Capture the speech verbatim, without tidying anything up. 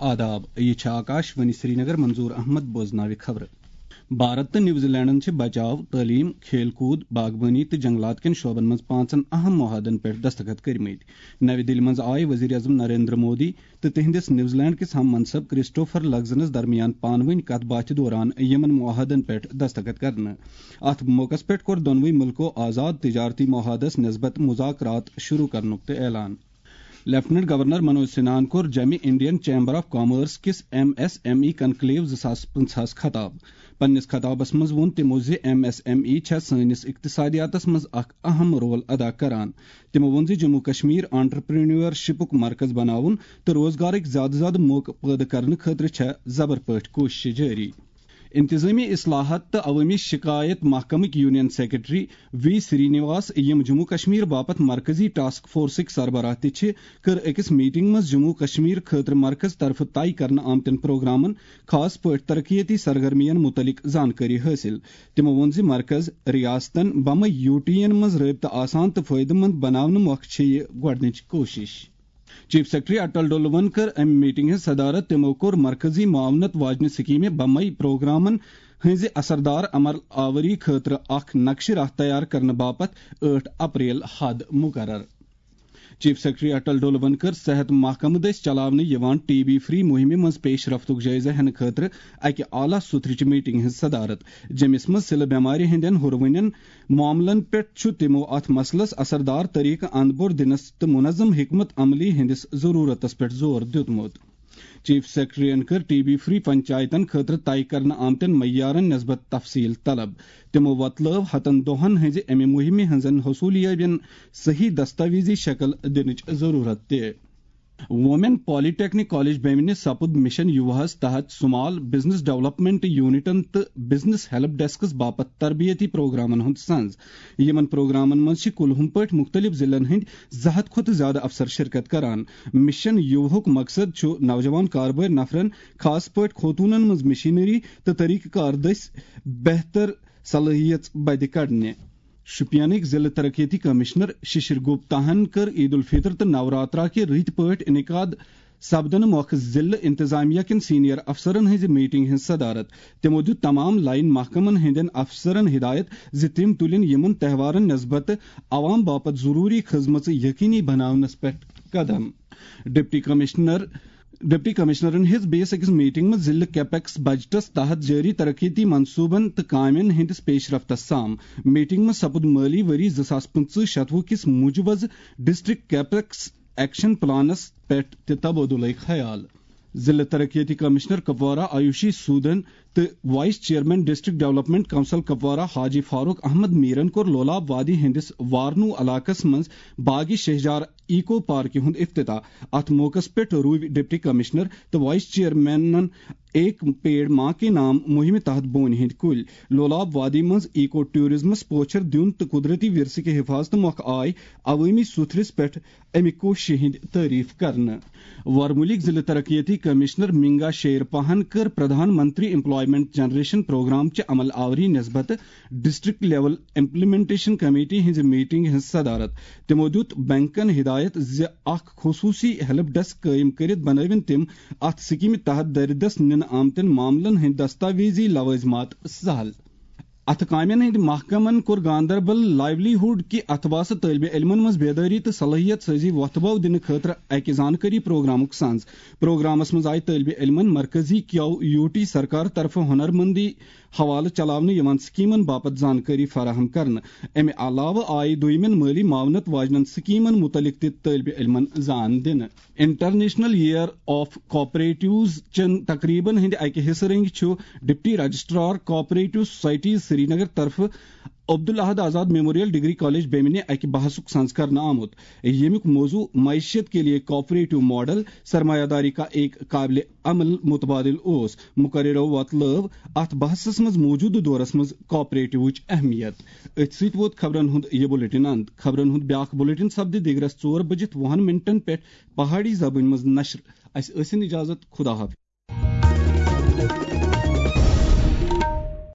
آداب، یہِ چھِ آکاش وانی سرینگر۔ منظور احمد بوزناوِ خبرٕ۔ بھارت تہٕ نیوزی لینڈن چھِ بچاو، تعلیم، کھیل کود، باغبٲنی تہٕ جنگلات کٮ۪ن شعبن منٛز پانٛژن اہم معاہدن پٮ۪ٹھ دستخط کٔرمٕتۍ۔ نَوِ دِلہِ منٛز آیہِ وزیر اعظم نریندر مودی تہٕ تِہنٛدِس نیوزی لینڈ کِس ہم منصب کرسٹوفر لگزنس درمیان پانہٕ ؤنۍ کتھ باتھِ دوران یِمن معاہدن پٮ۪ٹھ دستخط کرنہٕ۔ اتھ موقعس پٮ۪ٹھ کوٚر دۄنوٕے مُلکو آزاد تجارتی معاہدس نسبت مذاکرات شروع کرنُک تہِ اعلان۔ لیفٹیننٹ گورنر منوج سنہاہن کوٚر جمہِ انڈین چیمبر آف کامرس کِس M S M E conclave زٕ ساس پٕنٛژٕہس خطاب۔ پننِس خطابس منٛز ووٚن تِمو زِ ایم ایس ایم ای چھےٚ سٲنِس اقتصادیاتس منٛز اکھ اہم رول ادا کران۔ تِمو ووٚن زِ جموں کشمیر آنٹرپرینیورشپُک مرکز بناوُن تہٕ روزگارٕکۍ زیادٕ زیادٕ موقعہٕ پٲدٕ کرنہٕ خٲطرٕ چھےٚ زبر پٲٹھۍ کوٗششہٕ جٲری۔ انتظامی اصلاحات تہٕ عوٲمی شکایت محکمٕکۍ یونین سیکرٹری وی سرینواس، یِم جموں کشمیر باپتھ مرکزی ٹاسک فورسٕکۍ سربراہ تہِ چھِ، کٔر أکِس میٹنگ منٛز جموں کشمیر خٲطرٕ مرکز طرفہٕ طے کرنہٕ آمتٮ۪ن پروگرامن، خاص پٲٹھۍ ترقیتی سرگرمین متعلق زانکٲری حٲصِل۔ تِمو ووٚن زِ مرکز ریاستن بمے یوٗ ٹی ین منٛز رٲبطہٕ آسان تہٕ فٲیدٕ مند بناونہٕ مۄکھٕ چھِ یہِ گۄڈٕنِچ کوٗشش۔ چیف سیکرٹری اٹل ڈولون کٔر امہِ میٹنگ ہٕنٛز صدارت۔ تِمو کوٚر مرکزی معاونت واجنہِ سکیمہِ بمے پروگرامن ہٕنٛزِ اثردار عمل آوری خٲطرٕ اکھ نقشہٕ راہ تیار کرنہٕ باپتھ ٲٹھ اپریل حد مقرر۔ چیف سیکرٹری اٹل ڈولون کٔر صحت محکمہٕ دٔسۍ چلاونہٕ یِوان ٹی بی فری مُہِمہِ منٛز پیش رفتُک جٲیزٕ ہٮ۪نہٕ خٲطرٕ اکہِ اعلیٰ سطحٕچ میٹنگ ہٕنٛز صدارت، جیٚمِس منٛز سِلہٕ بٮ۪مارِ ہٕنٛدٮ۪ن ہُروٕنٮ۪ن معاملن پٮ۪ٹھ چھُ تِمو اتھ مسلس اثردار طریقہٕ اندپور دِنس تہٕ منظم حکمت عملی ہٕنٛدِس ضرورتس پٮ۪ٹھ زور دیُتمُت۔ چیف سیکرٹریَن کٔر ٹی بی فری پنچایتن خٲطرٕ طے کرنہٕ آمتٮ۪ن معیارن نسبت تفصیل طلب۔ تِمو وۄتلٲو ہتن دۄہن ہٕنٛزِ امہِ مُہِمہِ ہٕنٛزن حصوٗلیٲبین صحیح دستاویزی شکل دِنٕچ ضروٗرت تہِ۔ وومین پالی ٹیکنک کالج بیمنہِ سپُد مشن یوہس تحت سمال بزنس ڈیولپمنٹ یونٹن تہٕ بزنس ہیلپ ڈیسکس باپتھ تربیتی پروگرامن ہُنٛد سنز۔ یِمن پروگرامن منٛز چھِ کُلہُم پٲٹھۍ مُختٔلِف ضلعن ہٕنٛدۍ زٕ ہتھ کھۄتہٕ زیادٕ افسر شرکت کران۔ مشن یوہُک مقصد چھُ نوجوان کاربٲرۍ نفرن، خاص پٲٹھۍ خوتوٗنن منٛز مشینری تہٕ طریقہٕ کار دٔسۍ بہتر صلٲحیژ بدِ کڑنہِ۔ شوپینٕکۍ ضلع ترقیتی کمشنر ششر گپتاہن کٔر عید الفطر تہٕ نوراترا کہِ رٕتۍ پٲٹھۍ انعقاد سپدنہٕ مۄکھٕ ضلع انتظامیہ کٮ۪ن سینئر افسرن ہٕنٛزِ میٹنگ ہٕنٛز صدارت۔ تِمو دِیُت تمام لائن محکمن ہٕنٛدٮ۪ن افسرن ہدایت زِ تِم تُلِن یِمن تہوارن نسبت عوام باپتھ ضروٗری خدمژٕ یقینی بناونس پٮ۪ٹھ قدم۔ ڈپٹی کمشنر ڈپٹی کمشنرن ہیٚژ بیٚیِس أکِس میٹنگ منٛز ضلع کیپیکس بجٹس تحت جٲری ترقیتی منصوبن تہٕ کامٮ۪ن ہٕنٛدِس پیش رفتس سام۔ میٹنگ منٛز سپُد مٲلی ؤری زٕ ساس پٕنٛژٕہ شتوُہ کِس مجوزٕ ڈسٹرکٹ کیپیکس ایکشن پلانس پٮ۪ٹھ تہِ تبادلہٕ خیال۔ ضلع ترقیتی کمشنر کپوارہ آیوشی سودن تہٕ vice chairman district development council Kupwara حاجی فاروق احمد میرن کوٚر لولاب وادی ہٕنٛدِس وارنو علاقس منٛز باغی شہجار ایکو پارکہِ ہُنٛد افتتاح۔ اتھ موقعس پٮ۪ٹھ روٗوۍ ڈپٹی کمشنر تہٕ وائس چیئرمینن ایک پیڑ ماں کے نام مُہِمہِ تحت بونہِ ہٕنٛدۍ کُلۍ۔ لولاب وادی منٛز ایکو ٹورازمس پوچھر دیُن تہٕ قدرتی ورثہٕ کہِ حفاظتہٕ مۄکھٕ آے عوٲمی سُتھرِس پٮ۪ٹھ امہِ کوٗششہِ ہٕنٛدۍ تعریف کرنہٕ۔ ورمُلٕکۍ ضلع ترقیتی کمشنر منگا شیر پاہن کٔر Pradhan Mantri employment generation programme چہِ عمل آوری نسبت ڈسٹرکٹ لیول امپلیمنٹیشن کمیٹی ہٕنٛزِ میٹنگ ہٕنٛز صدارت۔ تِمو دیُت بینکن ہدایت زِ اکھ خصوٗصی ہیلپ ڈیسک قٲیِم کٔرِتھ بنٲوِن تِم اتھ سکیمہِ تحت دردس نِنہٕ آمتٮ۪ن معاملن ہٕنٛدۍ دستاویزی لوازمات سہل۔ اتھٕ کامٮ۪ن ہٕنٛدۍ محکمن کوٚر گاندربل لائیولی ہُڈ کہِ اتھواسہٕ طٲلبہِ علمن منٛز بیدٲری تہٕ صلٲحیت سٲزی وۄتھٕ بو دِنہٕ خٲطرٕ اکہِ زانکٲری پروگرامُک سنز۔ پروگرامس منٛز آیہِ طٲلبہِ علمن مرکزی کیو یو ٹی سرکار طرفہٕ ہنرمندی حوالہٕ چلاونہٕ یِوان سکیمن باپتھ زانکٲری فراہم کرنہٕ۔ امہِ علاوٕ آیہِ دوٚیمٮ۪ن مٲلی معاونت واجنٮ۪ن سکیمن متعلق تہِ طٲلبہِ علمن زان دِنہٕ۔ انٹرنیشنل ایئر آف کوآپریٹوز چٮ۪ن تقریبن ہٕنٛدِ اکہِ حصہٕ رٔنگۍ چھُ deputy registrar cooperative society Srinagar طرفہٕ عبدالاحد آزاد میموریل ڈگری کالج بیمنہِ اکہِ بحثُک سنز کرنہٕ آمُت، ییٚمیُک موضوع معیشت کے لیے کوآپریٹو ماڈل، سرمایہ داری کا ایک قابل عمل متبادل اوس۔ مقررو وۄتلٲو اتھ بحثس منٛز موجودٕ دورس منٛز کوآپریٹوٕچ اہمیت۔ أتھۍ سۭتۍ ووت خبرن ہُنٛد یہِ بلیٹن اند۔ خبرن ہُنٛد بیاکھ بلیٹن سپدِ دِگرس ژور بجِتھ وُہن منٹن پٮ۪ٹھ پہاڑی زبٲنۍ منٛز نشر۔ اسہِ ٲسِن اجازت، خدا حافظ۔